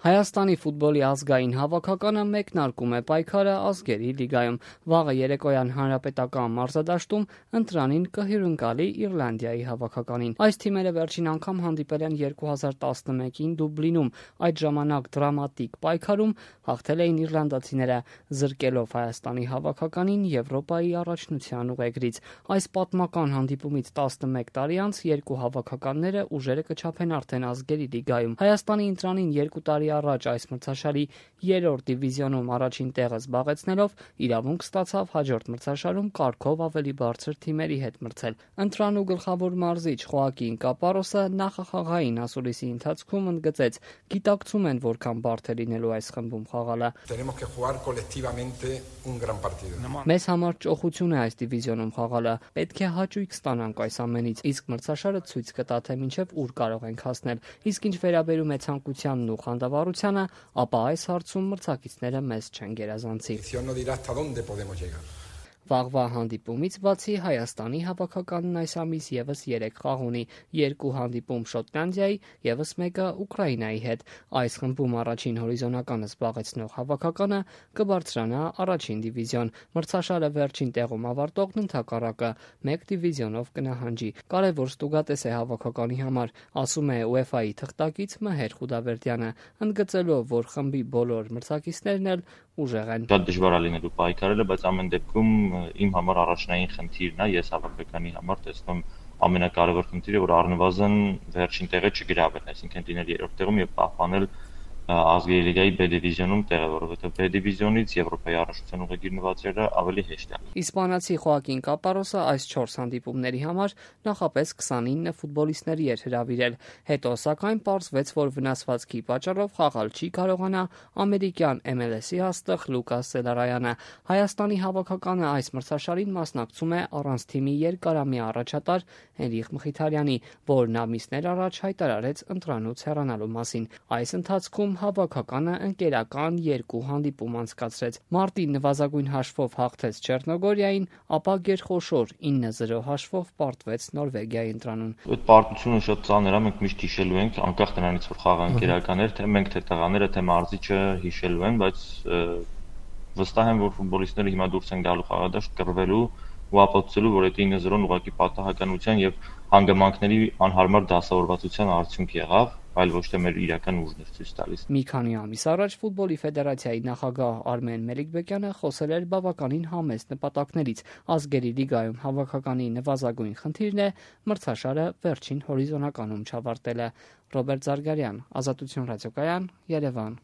Հայաստանի ֆուտբոլի ազգային հավաքականը մեկնարկում է պայքարը ազգերի լիգայում։ Վաղը երեկոյան հանրապետական մարզադաշտում ընտրանին կհյուրընկալի Իռլանդիայի հավաքականին։ Այս թիմերը վերջին անգամ հանդիպել են 2011-ին Դուբլինում։ Այդ ժամանակ դրամատիկ պայքարում հաղթել էին իռլանդացիները, զրկելով Հայաստանի հավաքականին Եվրոպայի առաջնության ուղեգրից։ Այս պատմական հանդիպումից 11 տարի անց երկու հավաքականները ուժերը կչափեն արդեն ազգերի լիգայում։ Հայաստանի ընտրանին 2 տարի առաջ այս մրցաշարի 3-րդ դիվիզիոնում առաջին տեղը զբաղեցնելով իրավունք ստացավ հաջորդ մրցաշարում կարգով ավելի բարձր թիմերի հետ մրցել։ Ընտրանու գլխավոր մարզիչ Խոակին Կապարոսը նախախաղային ասուլիսի ընթացքում ընդգծեց. գիտակցում են որքան բարդ է լինելու այս խմբում խաղալը։ Մեզ համար ճոխություն է այս դիվիզիոնում խաղալը, պետք է հաճույք ստանանք այս ամենից, իսկ մրցաշարը ցույց կտա, թե մինչև ուր կարող ենք հասնել։ Իսկ ինչ վերաբերում է ցանկությանն ու խանդավառությանը, ապա այս հարցում մրցակիցները մեզ չեն գերազանցի։ Վաղվա հանդիպումից բացի Հայաստանի հավաքականն այս ամիս ևս 3 խաղ ունի, 2 հանդիպում Շոտլանդիայի, ևս մեկը Ուկրաինայի հետ։ Այս խմբում առաջին հորիզոնականը զբաղեցնող հավաքականը կբարձրանա առաջին դիվիզիոն։ Մրցաշարը վերջին տեղում ավարտողն ընդհակառակը 1 դիվիզիոնով կնահանջի։ Կարևոր ստուգատես է հավաքականի համար, ասում է UEFA-ի թղթակից Մհեր Խուդավերդյանը, ընդգծելով, որ խմբի բոլոր մրցակիցներն էլ ուժեղ են։ Շատ դժվար է լինելու պայքարելը, բայց ամեն դեպքում իմ համար առաջնային խնդիրն է, ես հավաքականի համար տեսնում ամենակարևոր խնդիրը, որ առնվազն վերջին տեղը չգրավել, այսինքն լինել 3-րդ տեղում եւ պահպանել ազգերի լիգայի B դիվիզիոնում տեղը, որովհետեւ B դիվիզիոնից Եվրոպայի առաջնության ուղեգիր նվաճելը ավելի հեշտ է։ Իսպանացի Խոակին Կապարոսը այս 4 հանդիպումների համար նախապես 29 ֆուտբոլիստների էր հրավիրել, հետո սակայն պարզվեց, որ վնասվածքի պատճառով խաղալ չի կարողանա ամերիկյան MLS-ի հաստղ Լուկաս Սելարայանը։ Հայաստանի հավաքականը այս մրցաշարին մասնակցում է առանց թիմի երկարամյա առաջատար Հենրիխ Մխիթարյանի, որն ամիսներ առաջ հայտարարեց ընտրանուց հեռանալու մասին։ Այս ընթացքում հավաքականը ընկերական 2 հանդիպում անցկացրեց։ Մարտին նվազագույն հաշվով հաղթեց Չեռնոգորիային, ապա գերխոշոր 9-0 հաշվով պարտվեց Նորվեգիայի ընտրանուն։ Այդ պարտությունը շատ ծանր է, մենք միշտ հիշելու ենք, անկախ նրանից որ խաղը ընկերական էր, թե մենք թե տղաները, թե մարզիչը հիշելու են, բայց վստահ եմ, որ ֆուտբոլիստները հիմա դուրս են գալու խաղադաշտ կռվելու ու ապացուցելու, որ այդ 9-0-ն ուղղակի պատահականության եւ հանգամանքների անհարմար դասավորվածության արդյունք եղավ, այլ ոչ թե մեր իրական ուժն էր ցույց տալիս։ Մի քանի ամիս առաջ ֆուտբոլի ֆեդերացիայի նախագահ Արմեն Մելիքբեկյանը խոսել էր բավականին համեստ նպատակներից։ Ազգերի լիգայում հավաքականի նվազագույն խնդիրն է մրցաշարը վերջին հորիզոնականում չավարտելը։ Ռոբերտ Զարգարյան, Ազատություն ռադիոկայան, Երևան։